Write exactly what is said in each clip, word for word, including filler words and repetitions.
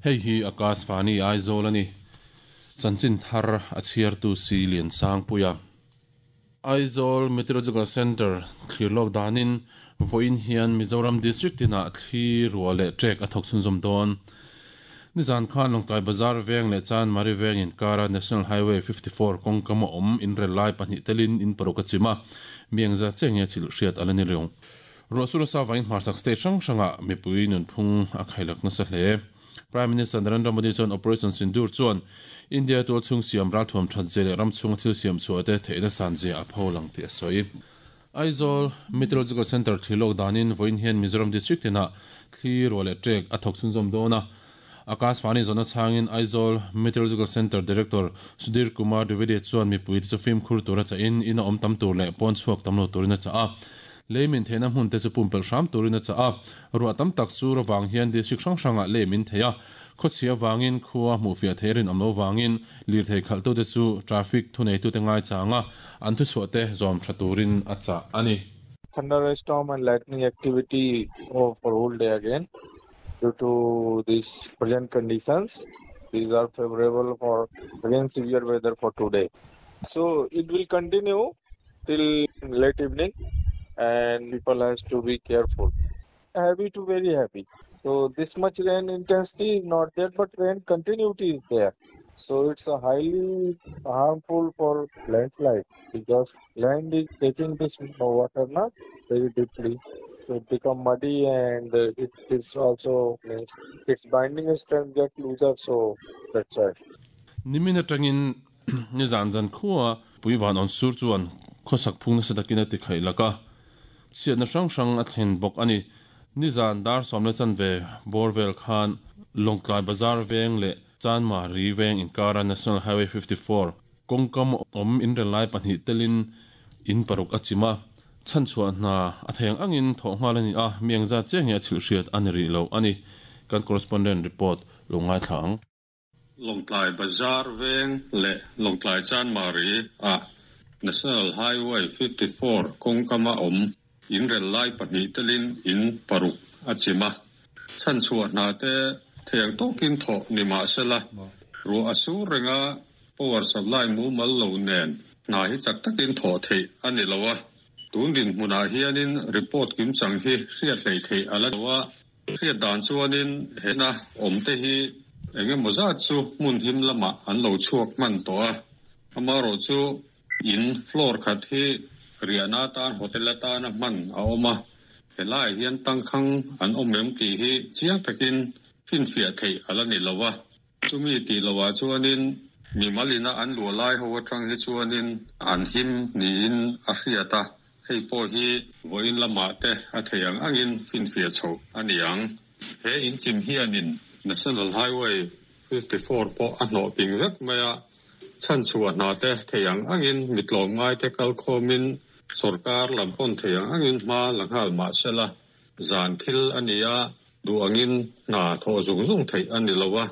Hei hi Akashvani Aizawl ani. Chanchin thar a chhiartu si lian sang puia. Aizawl Meteorological Center thlirlok danin voin hian Mizoram District tina thli ruah leh trek a thawk chhunzawm dawn. Nizan khan Lawngtlai Bazar veng leh Chan Mari veng inkara National Highway fifty-four kawngkam a awm inrel lai pahnih telin in paruk a chim a, miangza chenge chil hriat ala ni reng. Ruah sur sa vain hmarchak state hrang hranga mipui nunphung a khailak nasa hle. Prime Minister Narendra Modi chuan Operation Sindoor chuan India tual chhung siam ral thuam that ze leh ram chhung thil siam chhuah te theihna san ze a pholang tih a sawi. Aizawl Meteorological Center thlilok danin voin hian Mizoram District tina thli ruah leh trek a thawk chhunzawm dawn a. Akashvani zona changin Aizawl Meteorological Center Director Sudhir Kumar Dwivedi chuan mipui te chu fimkhur tura cha in in a awm tam tur leh pawn chhuak tam lo turin a cha a. Leimin theihna hmun te chu pumpelh hram turin a cha a. Ruah tam tak sur awang hian district hrang hrangah leimin thei a. Khawchhia wangin khua hmuhfiah thei rin awm lo wangin lirthei khalh te chu traffic thuneitu te ngai changa an thu chhuah te zawm tha turin a cha ani. Thunderstorm and lightning activity for whole day again due to these present conditions. These are favorable for again severe weather for today. So it will continue till late evening and people has to be careful. Heavy to very heavy. So this much rain intensity is not there, but rain continuity is there. So it's a highly harmful for landslide because land is taking this water not very deeply. So it become muddy and it is also its binding strength get looser. So that's why. Nimina tangin ni zan zan khuwa puiwan on sur chuan khosak phung na sadakina ti khai laka. Chiat na hrang hrang a thlen bawk ani. Nizan dar somle chan ve Borvel khan Lawngtlai Bazar veng le Chan Mari veng inkara National Highway fifty-four kawngkam awm inrel lai pahnih telin in paruk a chima. Chan chhuah hna a theng angin thawh nghal ani a, miangza chenge a chhil hriat ani ri lo ani. Kan correspondent report lo ngai thlang. Lawngtlai Bazar veng le Lawngtlai Chan Mari a National Highway fifty-four kawngkama awm inrel lai pahnih telin in paruk a chima. Chan chhuah hna te theng tawkin thawh ni mah sela. Ruah a sur renga power supply mu mal lo nen hna hi chak takin thawh theih ani lo a. Tun din hmunah hianin report kim chang hi hriat hlei theih ala lo a. Hriat dan chuanin hena awm te hi engemaw zat chu hmun him lamah an lo chhuak hman tawh a. Amarawh chu in floor khat hi riahna tan hotel atana hman a awm a. Helai hian tangkhang an awm em tih hi chiang takin finfiah theih ala ni lo a. Chumi tih lohah chuanin mi malina an luah lai ho atang hi chuanin an him niin a hriat a. Hei pawh hi vawiin lamah te a thei ang angin finfiah chho ani ang. He in chim hianin National Highway fifty-four pawh a hnawh ping vek mai a. Chan chhuah hna te thei ang angin mitlawm ngai te kal khawmin sarkar lam pawn thei ang angin hma la nghal mah sela. Zan thil ani a, duh angin hna thawh zung zung theih ani lo a.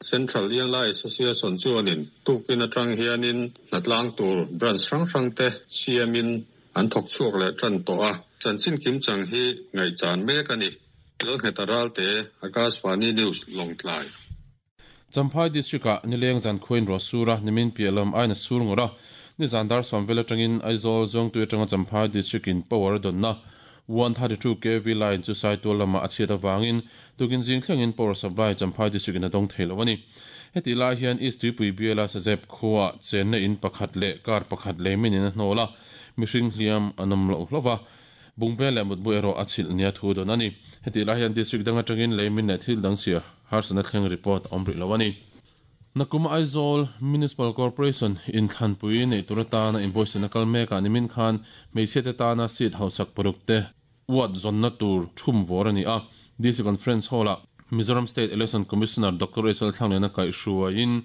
Central Airline Association chuanin tukin atang hianin hnatlang tur branch hrang hrang te siamin an thawk chhuak leh tan tawh a. Chanchin kim chang hi ngaihchan mek ani. Lalngheta Ralte, Akashvani News, Lawngtlai. Champhai District a nileng zan khuin ro sura nimin pialam aina sur ngora. Ni zandar somvel atangin Aizawl zawng tu atanga Champhai District in power donna one thirty-two K V line chu saitual lama a chhiat awangin tukin zing thlengin power supply Champhai District in a dawng thei lo ani. Heti lai hian East Tuipui biala Sazep khuwa chenna in pakhat leh kar pakhat leimin in a hnawla mihring hliam anam lo hlova. Bungbe leh mutbu erawh a chhilh nia thu dawn ani. Heti lai hian district dang atangin leimin leh thil dang sia harsana thleng report awm rih lo ani. Nakuma Aizawl Municipal Corporation in Thlanpui nei turatana invoice na kalmeka nimin khan hmeichhe te tana seat hausak paruk te ward zonna tur thum vor ani a. D C Conference Hall a Mizoram State Election Commissioner Doctor Esal Thanglena kai hruaiin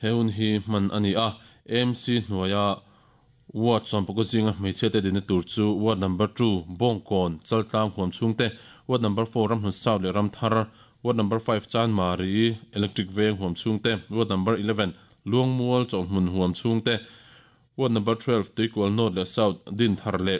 heun hi hman ani a. M C hnuaia ward sawmpakua zinga hmeichhe te dina tur chu ward number two Bawngkawn Chaltlang huam chhungte, ward number four Ramhlun South leh Ramthar, ward number five Chan Mari Electric Veng huam chhungte, ward number eleven Luangmual Chawhmun huam chhungte, ward number twelve Tuikual North leh South Din Thar leh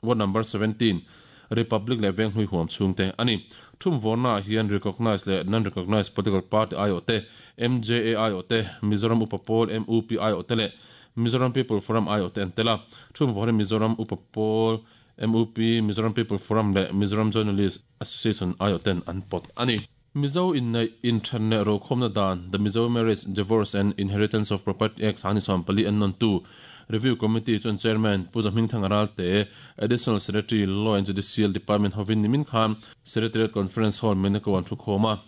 ward number seventeen Republic leh Veng hlui huam chhungte ani. Thum vorna hian recognized le non recognized political party I O te M J A I O te Mizoram Upa Pawl M U P I O te le Mizoram People Forum I O te an tela. Thum vorna Mizoram Upa Pawl M U P Mizoram People Forum le Mizoram Journalist Association I O ten an pot ani. Mizo in internet ro khomna dan the Mizo Marriage Divorce and Inheritance of Property Act ani som pali an non tu Review Committee chon Chairman Puja Hmingthang Ralte Additional Secretary Law and Judicial Department hovin nimin khan Secretariat Conference Hall Menako an thu khoma.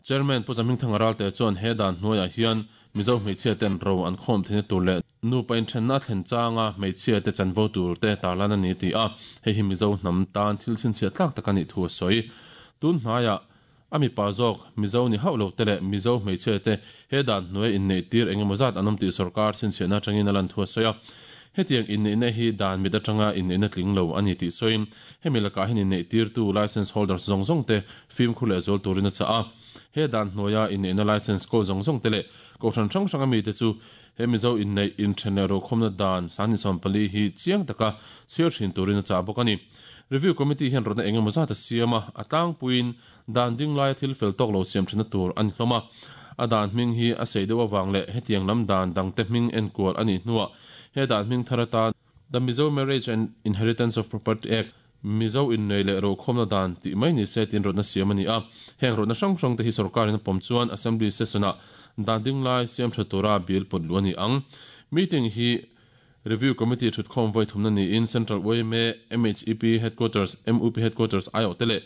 Chairman Puja Hmingthang Ralte chon hedan hnuaiah hian Mizo hmeichhia ten ro an khom theina tur le nu pain then na thlen changa hmeichhia te chanvo tur te tarlan ani ti a hei hi Mizo hnam tan thil chin chhia tlak tak ani thu a sawi. Tun hnaia ami pa zawk Mizo ni hauh lo te le Mizo hmeichhia te hedan hnuai innei tir engemaw zat an awm tih sarkar chhinchhiahna atangin a lan thu a sawi a. Hetiang inneihna hi dan mit atanga inneihna tling lo ani tih sawiin hemi lakah hian innei tir tu license holders zawng zawng te fimkhur leh zual turin a chah a. He dan hnuaia inneihna license kawl zawng zawng te leh kohhran hrang hrang ami te chu he Mizo innei inthen leh ro khawmna dan sangni sawm pali hi chiang taka chhiar thin turin a chah bawk ani. Review Committee hian rawtna engemaw zat a siam a, a tlangpuiin dan ding laia thil fel tawk lo siam thina tur ani hlawm a. A dan hming hi a sei deuh awang leh hetiang lam dan dangte hming enkual ani hnuah he dan hming thar atan The Mizo Marriage and Inheritance of Property Act Mizo innei leh ro khawmna dan tih mai ni se tin rawtna siam ani a. Heng rawtna hrang hrang te hi sarkarin a pawm chuan Assembly session-ah dan ding lai siam tha tura bill pawt lu ani ang. Meeting hi Review Committee thut khawm voi thumna niin Central Y M A, M H E P Headquarters, M U P Headquarters I O te le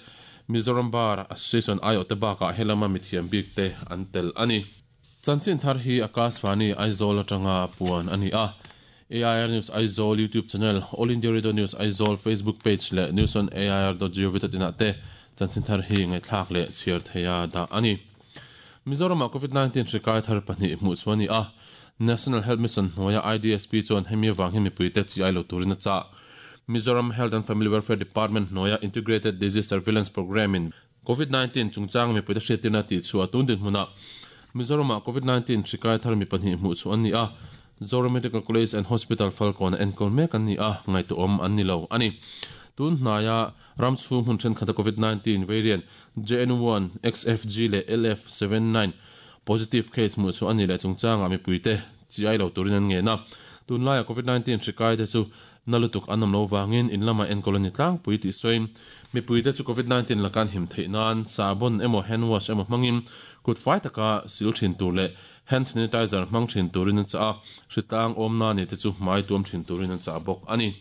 Mizoram Bar Association I O te bakah helama mithiam bik te an tel ani. Chanchin thar hi Akashvani Aizawl atanga puan ani a. A I R News Aizawl YouTube channel, All India Radio News Aizawl Facebook page le news on A I R dot gov dot in ah te chanchin thar hi ngaithlak le chhiar theia dah ani. Mizoram ah COVID nineteen hrikai thar pahnih hmuh chu ani a. National Health Mission hnuaia I D S P chuan hemi awang hi mipui te chi ai lo turin a chah. Mizoram Health and Family Welfare Department hnuaia Integrated Disease Surveillance Program in COVID nineteen chungchang mipui te hriattirna tih chu a tun din hmunah Mizoram ah COVID nineteen hrikai thar mi pahnih hmuh chu an ni a. Zoram Medical College and Hospital Falkawn a enkawl mek an ni a, ngaihtuah awm an ni lo ani. Tun hnaia ram chhung hmun thenkhat a COVID nineteen variant J N one, X F G le L F seven nine positive case hmuh chu ani leh chungchanga mipui te chi ai lo turin an nge na. Tun laia COVID nineteen hrikai te chu nalutuk an awm lo wangin in lama enkawl ani tlangpui tih sawiin mipui te chu COVID nineteen lakan him theih nan sabon emaw hand wash emaw hmangin kut fai taka sil thin tur leh hand sanitizer hmang thin turin an chah a, hritlang awm na ni te chu hmai tuam thin turin an chah bawk ani.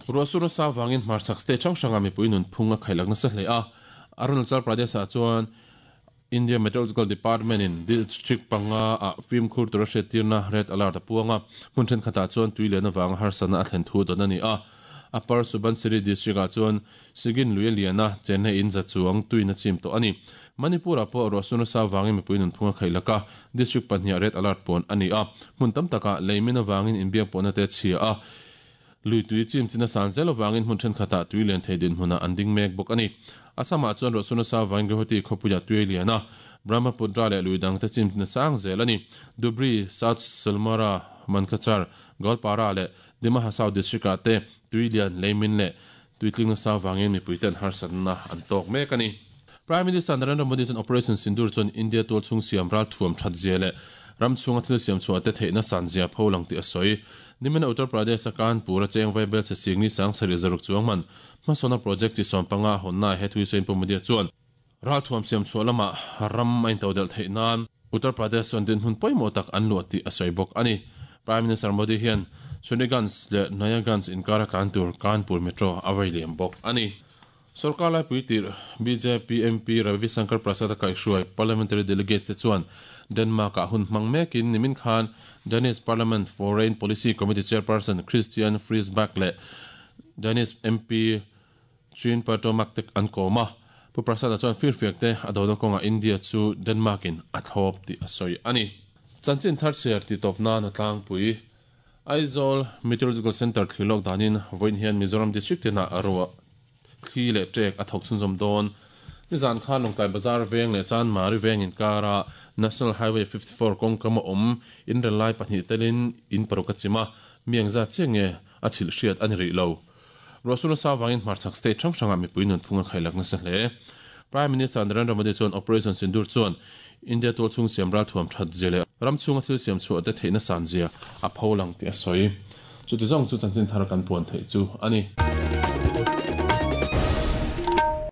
Ruahsur nasa wangin hmarchhak state hrang hranga mipui nun phung a khailak nasa hle a. Arunachal Pradesh ah chuan India Meteorological Department in district panga a fimkhur tura hriattirna red alert a puanga. Hmun thenkhatah chuan tui lian awanga harsatna a thlen thu dawn ani a. Upper Subansiri district ah chuan Sigin lui a lian a Chennai in za chuang tuin a chim tawh ani. Manipur ah pawh ruahsur nasa wangin mipui nun phung a khailak a, district pahnih red alert pawn ani a. Hmun tam takah leimin awangin inbiak pawhna te chhia a. Lui tui chim china san zel awangin hmun thenkhatah tui lian thei din hmunah an ding mek bawk ani. Assam ah chuan ruahsur nasa wangin Guwahati khawpuia tui lian a, Brahmaputra leh lui dang te chim china sang zel ani. Dhubri, South Salmara, Mankachar, Goalpara le Dima Hasao district ah te tui lian leimin le tuitling nasa wangin mipui ten harsatna an tawk mek ani. Prime Minister Narendra Modi chuan Operation Sindoor chuan India tual chhung siam ral thuam that zia le ram chhunga thil siam chhuah te theihna san zia pholang tih a sawi. Nimin Uttar Pradesh a Kanpur a cheng vai bel che singni sang sarih zaruk chuang man hmasawna project chi sawm panga hawnna he thui sawiin Pu Modi chuan ral thuam siam chhuah lamah ram a intodel theih nan Uttar Pradesh chuan din hun pawimawh tak an luah tih a sawi bawk ani. Prime Minister Modi hian Shaniganj le Nayaganj inkar a tlan tur Kanpur Metro a vai liam bawk ani. Sarkar laipui tir B J P M P Ravi Shankar Prasad a kaihhruai parliamentary delegates te chuan Denmark ah hun hmang mekin nimin khan Danish Parliament Foreign Policy Committee Chairperson Christian Friisbach le Danish M P Chin Patomak te an kawm a. Pu Prasad a chuan firfiak te a dawna kawnga India chu Denmark in a thlawp tih a sawi ani. Chanchin thar chhiar ti tawp nan a tlangpui Aizawl Meteorological Centre thlilawk danin vawiin hian Mizoram district tinah a ruah thli leh ṭek a thawk chhunzawm dawn. Nizan khan Lawngtlai Bazar veng leh Chanmari veng inkara National Highway fifty-four kawngkam a awm in rel lai pahnih telin in paruk a chim a, miang zat chiang nge a chhilh hriat ani rih lo. Rosuna sa wangin hmarchhak state hrang hranga mipui nun phunga khailak nasa hle. Prime Minister Narendra Modi chuan Operation Sindoor chuan India tual chung siam ral thuam that zia leh ram chhunga thil siam chhuah te theihna san zia a pholang ti a sawi. Chuti zawng chu chanchin thar kan puan theih chu ani.